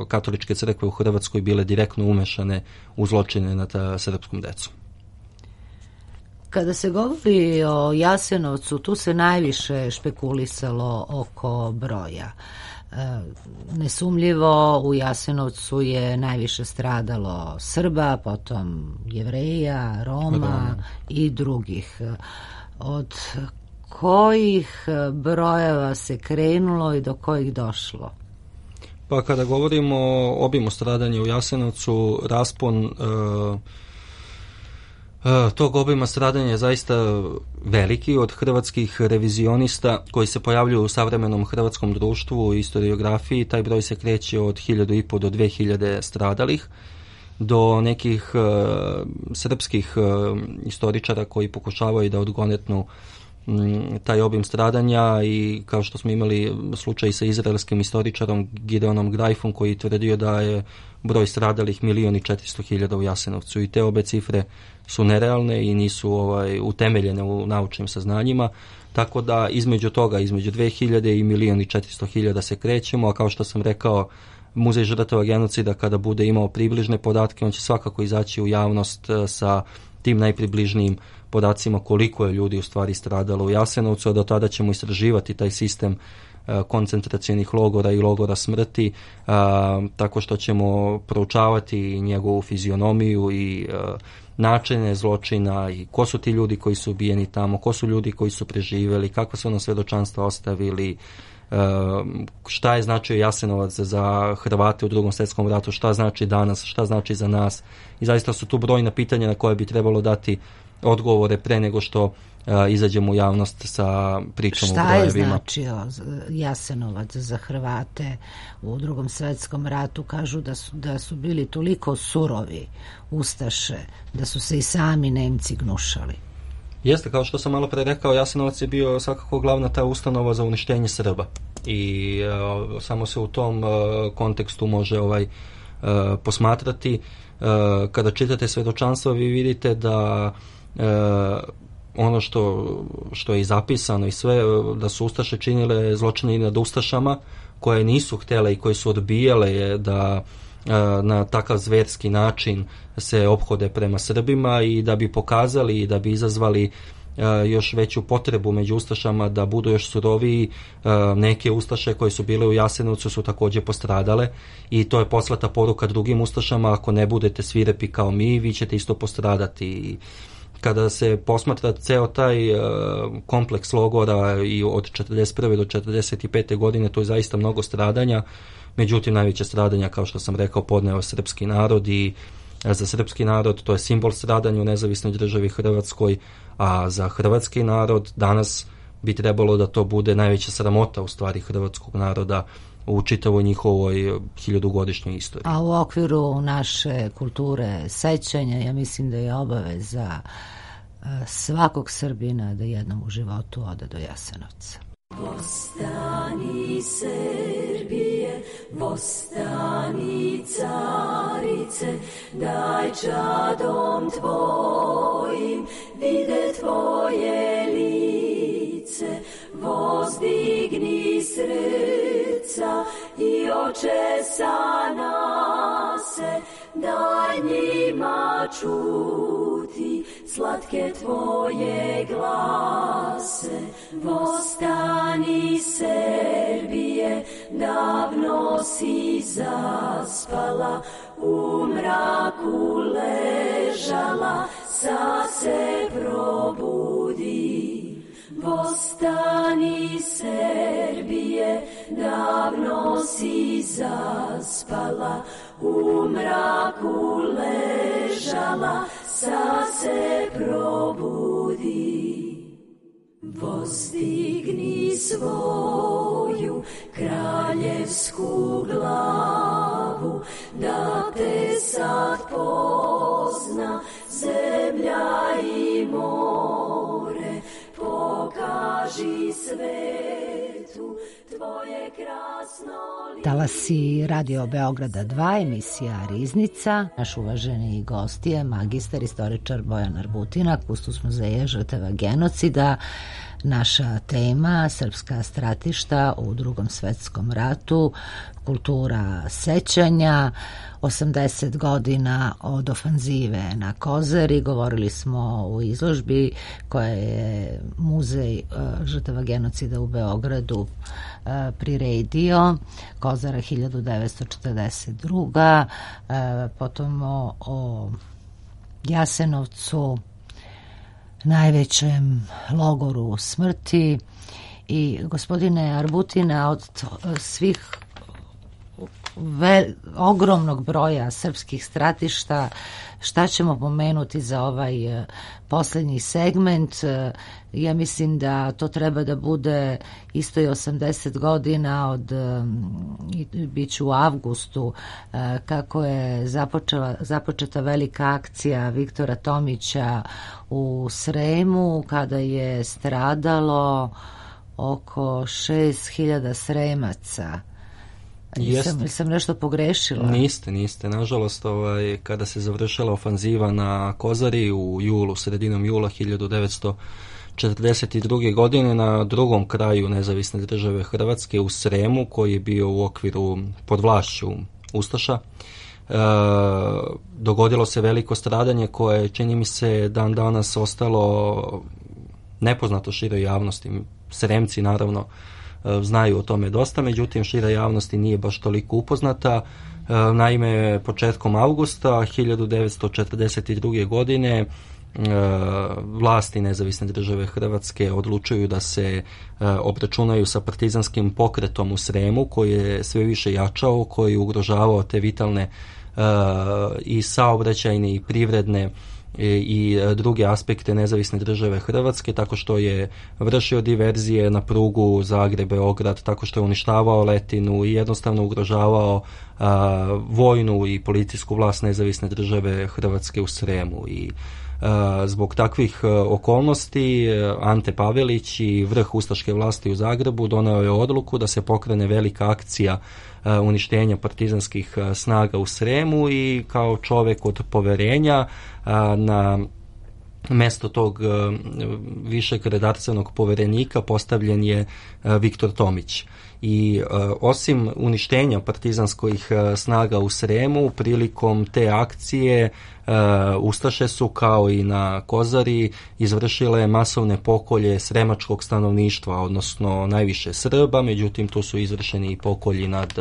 katoličke crkve u Hrvatskoj bile direktno umešane u zločine nad srpskom decom. Kada se govori o Jasenovcu, tu se najviše špekulisalo oko broja. Nesumljivo u Jasenovcu je najviše stradalo Srba, potom Jevreja, Roma Roma. i drugih. Od kojih brojeva se krenulo i do kojih došlo? Pa kada govorimo o obimu stradanja u Jasenovcu, raspon uh, tog obima stradanja je zaista veliki. Od hrvatskih revizionista koji se pojavljuju u savremenom hrvatskom društvu i historiografiji, taj broj se kreće od hiljadu i po do dve hiljade stradalih, do nekih uh, srpskih uh, istoričara koji pokušavaju da odgonetnu um, taj obim stradanja i kao što smo imali slučaj sa izraelskim istoričarom Gideonom Grajfom koji tvrdio da je broj stradalih milion i četiristo hiljada u Jasenovcu i te obe cifre su nerealne i nisu ovaj, utemeljene u naučnim saznanjima, tako da između toga, između dve hiljade i milion i četiristo hiljada se krećemo, a kao što sam rekao, Muzej žrtava genocida kada bude imao približne podatke, on će svakako izaći u javnost sa tim najpribližnijim podacima koliko je ljudi u stvari stradalo u Jasenovcu, a do tada ćemo istraživati taj sistem koncentracionih logora i logora smrti, a, tako što ćemo proučavati njegovu fizionomiju i a, načine zločina i ko su ti ljudi koji su ubijeni tamo, ko su ljudi koji su preživjeli, kakva su nam svedočanstva ostavili, a, šta je značio Jasenovac za Hrvate u Drugom svjetskom ratu, šta znači danas, šta znači za nas i zaista su tu brojna pitanja na koje bi trebalo dati odgovore pre nego što a, izađemo u javnost sa pričom o brojevima. Šta je značio Jasenovac za Hrvate u Drugom svjetskom ratu? Kažu da su, da su bili toliko surovi ustaše, da su se i sami Nemci gnušali. Jeste, kao što sam malo pre rekao, Jasenovac je bio svakako glavna ta ustanova za uništenje Srba i a, samo se u tom a, kontekstu može ovaj a, posmatrati. A, kada čitate svedočanstva vi vidite da a, ono što, što je i zapisano i sve, da su ustaše činile zločine i nad ustašama koje nisu htjele i koje su odbijale je da na takav zverski način se ophode prema Srbima i da bi pokazali i da bi izazvali još veću potrebu među ustašama da budu još suroviji. Neke ustaše koje su bile u Jasenovcu su također postradale i to je poslata poruka drugim ustašama: ako ne budete svirepi kao mi, vi ćete isto postradati. Kada se posmatra ceo taj uh, kompleks logora i od četrdeset prve do četrdeset pete godine, to je zaista mnogo stradanja. Međutim, najveće stradanja, kao što sam rekao, podneo srpski narod i za srpski narod to je simbol stradanja u nezavisnoj državi Hrvatskoj, a za hrvatski narod danas bi trebalo da to bude najveća sramota u stvari hrvatskog naroda u čitavoj njihovoj hiljadugodišnjoj istoriji. A u okviru naše kulture sećanja, ja mislim da je obaveza svakog Srbina da jednom u životu ode do Jasenovca. Vostani Srbije, vostani carice, daj čadom tvojim vide tvoje lice, vozdigni srca i oče sa nase, daj njima čuti slatke tvoje glase. Vostani Srbije, davno si zaspala, u mraku ležala, sa se probudi. Vostani Srbije, davno si zaspala, u mraku ležala, sa se probudi. Vozdigni svoju kraljevsku glavu, da te sad pozna zemlja i more, pokaži svetu tvoje krasno lice. Talasi Radio Beograda dva, emisija Riznica. Naš uvaženi gost je magistar istoričar Bojan Arbutina, kustos muzeja žrtava genocida. Naša tema: srpska stratišta u Drugom svetskom ratu, kultura sećanja, osamdeset godina od ofanzive na Kozari. Govorili smo u izložbi koja je Muzej žrtava genocida u Beogradu priredio, Kozara hiljadu devetsto četrdeset druga. Potom o, o Jasenovcu, najvećem logoru smrti. I gospodine Arbutina, od svih ve, ogromnog broja srpskih stratišta, šta ćemo pomenuti za ovaj uh, posljednji segment? Uh, ja mislim da to treba da bude isto i osamdeset godina od, um, bit će u avgustu, uh, kako je započela, započeta velika akcija Viktora Tomića u Sremu, kada je stradalo oko šest hiljada Sremaca. Nisam, sam nešto pogrešila? Niste, niste. Nažalost, ovaj, kada se završila ofanziva na Kozari u julu, sredinom jula hiljadu devetsto četrdeset druge. godine, na drugom kraju nezavisne države Hrvatske, u Sremu, koji je bio u okviru pod vlašću ustaša, e, dogodilo se veliko stradanje koje, čini mi se, dan danas ostalo nepoznato široj javnosti. Sremci, naravno, znaju o tome dosta, međutim šira javnosti nije baš toliko upoznata. Naime, početkom avgusta hiljadu devetsto četrdeset druge. godine vlasti nezavisne države Hrvatske odlučuju da se obračunaju sa partizanskim pokretom u Sremu, koji je sve više jačao, koji je ugrožavao te vitalne i saobraćajne i privredne i druge aspekte nezavisne države Hrvatske, tako što je vršio diverzije na prugu Zagreb-Beograd, tako što je uništavao letinu i jednostavno ugrožavao a, vojnu i policijsku vlast nezavisne države Hrvatske u Sremu. I a, zbog takvih a, okolnosti Ante Pavelić i vrh ustaške vlasti u Zagrebu doneo je odluku da se pokrene velika akcija a, uništenja partizanskih a, snaga u Sremu, i kao čovek od poverenja a, na mesto tog višeg redarstvenog poverenika postavljen je Viktor Tomić. I e, osim uništenja partizanskih e, snaga u Sremu, prilikom te akcije e, Ustaše su, kao i na Kozari, izvršile masovne pokolje sremačkog stanovništva, odnosno najviše Srba, međutim tu su izvršeni i pokolji nad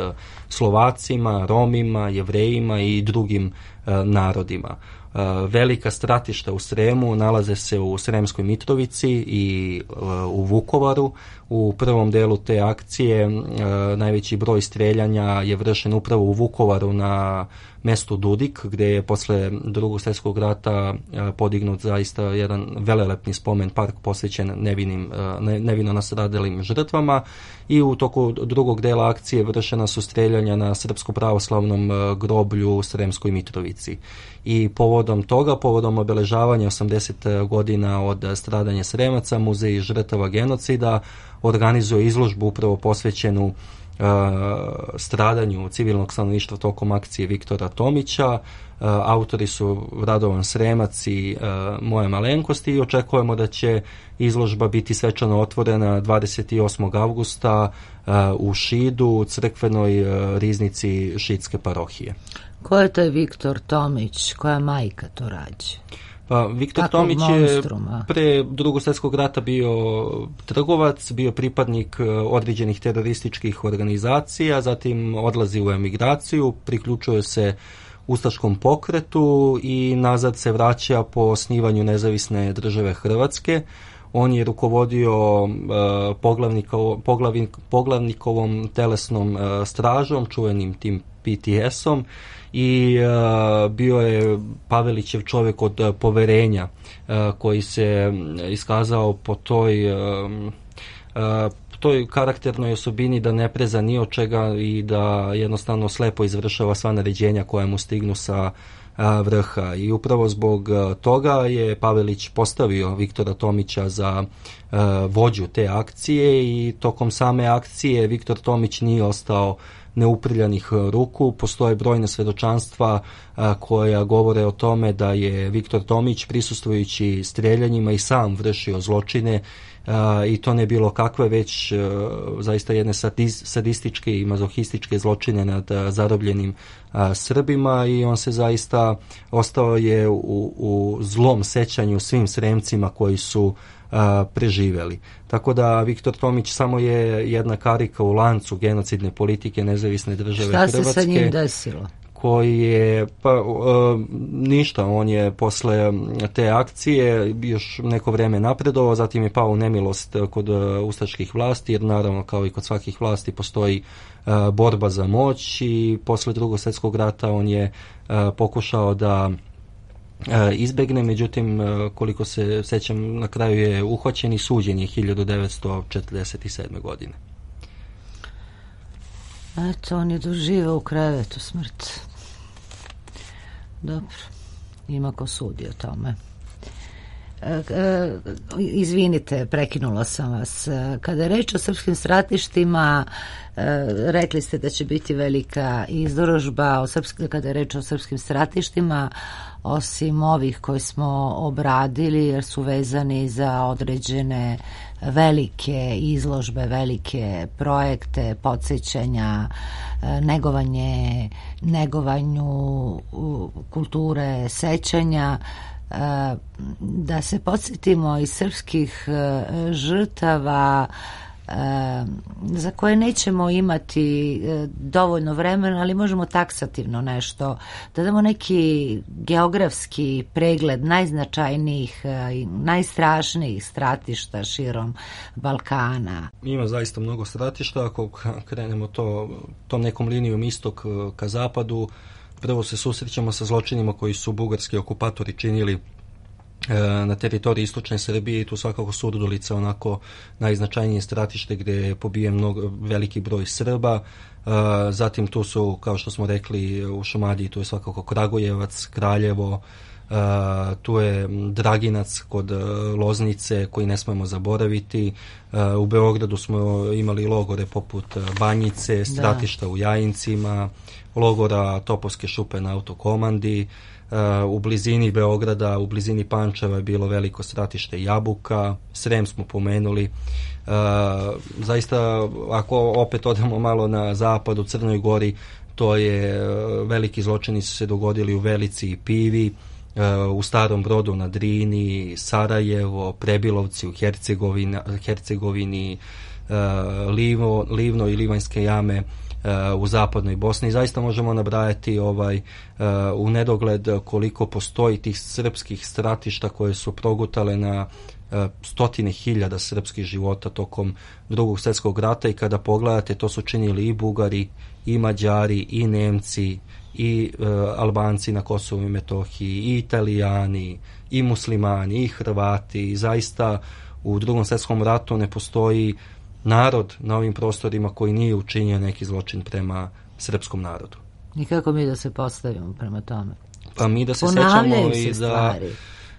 Slovacima, Romima, Jevrejima i drugim e, narodima. Velika stratišta u Sremu nalaze se u Sremskoj Mitrovici i u Vukovaru. U prvom delu te akcije najveći broj streljanja je vršen upravo u Vukovaru na mestu Dudik, gdje je posle Drugog svjetskog rata podignut zaista jedan velelepni spomen park posvećen nevinim, nevino nastradalim žrtvama, i u toku drugog dela akcije vršena su streljanja na srpsko-pravoslavnom groblju u Sremskoj Mitrovici. I povodom toga, povodom obeležavanja osamdeset godina od stradanja Sremaca, Muzej žrtava genocida organizuje izložbu upravo posvećenu uh, stradanju civilnog stanovništva tokom akcije Viktora Tomića. Uh, autori su Radovan Sremac i uh, moja malenkost, i očekujemo da će izložba biti svečano otvorena dvadeset osmog avgusta uh, u Šidu, u crkvenoj uh, riznici Šidske parohije. Ko je taj Viktor Tomić? Koja majka to rađe? Pa, Viktor Kakvog Tomić monstruma? je pre Drugog svjetskog rata bio trgovac, bio pripadnik određenih terorističkih organizacija, zatim odlazi u emigraciju, priključuje se ustaškom pokretu i nazad se vraća po osnivanju nezavisne države Hrvatske. On je rukovodio uh, poglavniko, poglavnik, poglavnikovom telesnom uh, stražom, čuvenim tim P T S-om, i uh, bio je Pavelićev čovjek od uh, poverenja, uh, koji se iskazao po toj uh, uh, toj karakternoj osobini da ne preza ni od čega i da jednostavno slepo izvršava sva naređenja koja mu stignu sa uh, vrha. I upravo zbog uh, toga je Pavelić postavio Viktora Tomića za uh, vođu te akcije, i tokom same akcije Viktor Tomić nije ostao neuprljanih ruku. Postoje brojne svedočanstva a, koja govore o tome da je Viktor Tomić prisustvujući streljanjima i sam vršio zločine, a, i to ne bilo kakve, već a, zaista jedne sadis, sadističke i mazohističke zločine nad a, zarobljenim a, Srbima, i on se zaista ostao je u, u zlom sećanju svim Sremcima koji su a, preživeli. Tako da Viktor Tomić samo je jedna karika u lancu genocidne politike nezavisne države Šta Hrvatske. Šta se sa njim desilo? Koji je, pa uh, ništa, on je posle te akcije još neko vreme napredovao, zatim je pao u nemilost kod uh, ustaških vlasti, jer naravno kao i kod svakih vlasti postoji uh, borba za moć, i posle Drugog svjetskog rata on je uh, pokušao da izbegne, međutim, koliko se sećam, na kraju je uhvaćen i suđen je hiljadu devetsto četrdeset sedme. godine. Eto, on je doživao u krevetu smrt. Dobro, ima ko sudi o tome. E, e, izvinite, prekinula sam vas. Kada je reč o srpskim stratištima, e, rekli ste da će biti velika izložba o srpsk, kada je reč o srpskim stratištima, osim ovih koji smo obradili, jer su vezani za određene velike izložbe, velike projekte, podsjećanja, negovanje, negovanju kulture sećanja, da se podsjetimo iz srpskih žrtava za koje nećemo imati dovoljno vremena, ali možemo taksativno nešto, da damo neki geografski pregled najznačajnijih i najstrašnijih stratišta širom Balkana. Ima zaista mnogo stratišta. Ako krenemo to, tom nekom linijom istok ka zapadu, prvo se susrećemo sa zločinima koji su bugarski okupatori činili na teritoriji istočne Srbije, i tu svakako Surdulica onako najznačajnije stratište gdje je pobijen mnogo, veliki broj Srba. Zatim tu su, kao što smo rekli, u Šumadiji tu je svakako Kragujevac, Kraljevo, tu je Draginac kod Loznice koji ne smemo zaboraviti. U Beogradu smo imali logore poput Banjice, stratišta da. u Jajincima, logora Topovske šupe na Autokomandi. u blizini Beograda, u blizini Pančeva je bilo veliko stratište Jabuka, Srem smo pomenuli. Zaista, ako opet odemo malo na zapad, u Crnoj Gori, to je veliki zločini su se dogodili u Velici i Pivi, u Starom Brodu na Drini, Sarajevo, Prebilovci u Hercegovini, Hercegovini Livno, Livno i Livanjske jame u zapadnoj Bosni. Zaista možemo nabrajati ovaj, u nedogled koliko postoji tih srpskih stratišta koje su progutale na stotine hiljada srpskih života tokom Drugog svjetskog rata, i kada pogledate, to su činili i Bugari, i Mađari, i Nemci, i e, Albanci na Kosovu i Metohiji, i Italijani, i Muslimani, i Hrvati. I zaista u Drugom svjetskom ratu ne postoji narod na ovim prostorima koji nije učinio neki zločin prema srpskom narodu. I kako mi da se postavimo prema tome? Pa mi da se Ponavljaju sećamo se i stvari. da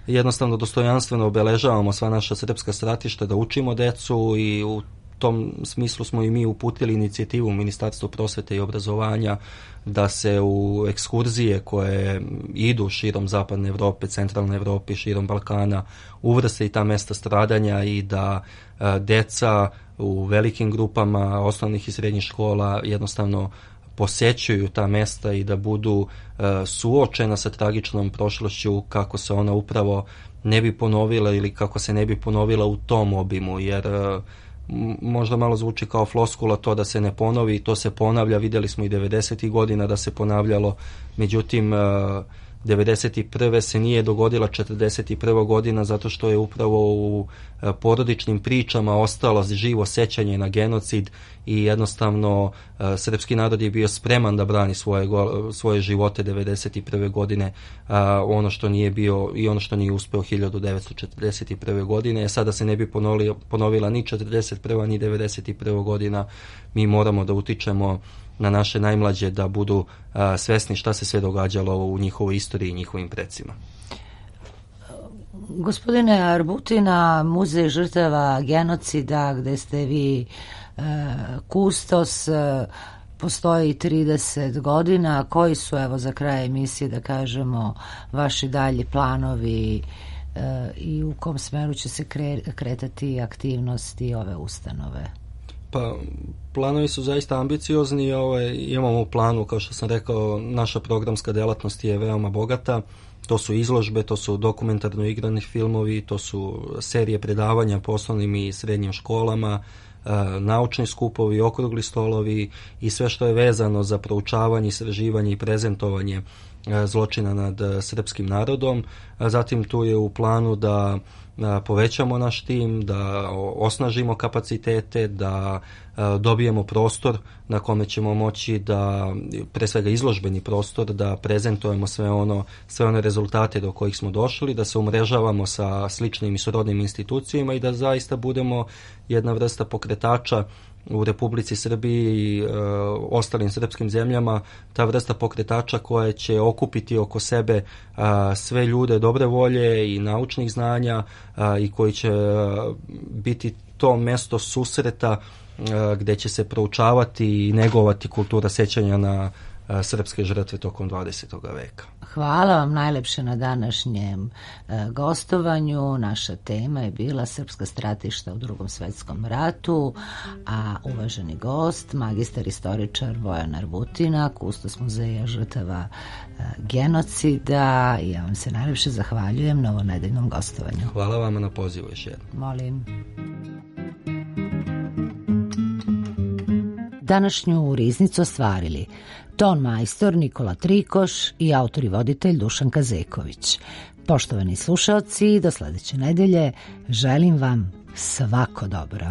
jednostavno dostojanstveno obeležavamo sva naša srpska stratišta, da učimo decu, i u tom smislu smo i mi uputili inicijativu u Ministarstvu prosvete i obrazovanja da se u ekskurzije koje idu širom zapadne Evrope, centralne Evrope, širom Balkana, uvrste i ta mesta stradanja, i da a, deca u velikim grupama osnovnih i srednjih škola jednostavno posećuju ta mesta i da budu a, suočena sa tragičnom prošlošću, kako se ona upravo ne bi ponovila ili kako se ne bi ponovila u tom obimu, jer a, možda malo zvuči kao floskula to da se ne ponovi, to se ponavlja, vidjeli smo i devedesetih godina da se ponavljalo, međutim devedeset prve se nije dogodila četrdeset prva godina zato što je upravo u porodičnim pričama ostalo živo sećanje na genocid, i jednostavno srpski narod je bio spreman da brani svoje, svoje živote devedeset prve godine, ono što nije bio i ono što nije uspeo hiljadu devetsto četrdeset prve godine. Sada se ne bi ponovila, ponovila ni četrdeset prva ni devedeset prva godina. Mi moramo da utičemo na naše najmlađe da budu a, svesni šta se sve događalo u njihovoj istoriji i njihovim predsima. Gospodine Arbutina, Muzej žrtava genocida, gde ste vi e, kustos, e, postoji trideset godina. Koji su, evo za kraj emisije da kažemo, vaši dalji planovi e, i u kom smeru će se kre, kretati aktivnosti ove ustanove? Pa, planovi su zaista ambiciozni. Ovaj, imamo u planu, kao što sam rekao, naša programska delatnost je veoma bogata. To su izložbe, to su dokumentarno igrani filmovi, to su serije predavanja po osnovnim i srednjim školama, naučni skupovi, okrugli stolovi i sve što je vezano za proučavanje, istraživanje i prezentovanje zločina nad srpskim narodom. Zatim tu je u planu da povećamo naš tim, da osnažimo kapacitete, da dobijemo prostor na kome ćemo moći da, pre svega izložbeni prostor, da prezentujemo sve ono, sve one rezultate do kojih smo došli, da se umrežavamo sa sličnim i srodnim institucijama i da zaista budemo jedna vrsta pokretača u Republici Srbiji i e, ostalim srpskim zemljama, ta vrsta pokretača koja će okupiti oko sebe a, sve ljude dobre volje i naučnih znanja a, i koji će a, biti to mesto susreta a, gde će se proučavati i negovati kultura sećanja na a, srpske žrtve tokom dvadesetog veka. Hvala vam najlepše na današnjem e, gostovanju. Naša tema je bila srpska stratišta u Drugom svetskom ratu, a uvaženi gost, magistar istoričar Bojan Arbutina, kustos Muzeja žrtava e, genocida. I ja vam se najlepše zahvaljujem na ovo nedeljnom gostovanju. Hvala vam na pozivu još jednom. Molim. Današnju riznicu ostvarili ton majstor Nikola Trikoš i autor i voditelj Dušan Kazeković. Poštovani slušaoci, do sledeće nedelje želim vam svako dobro.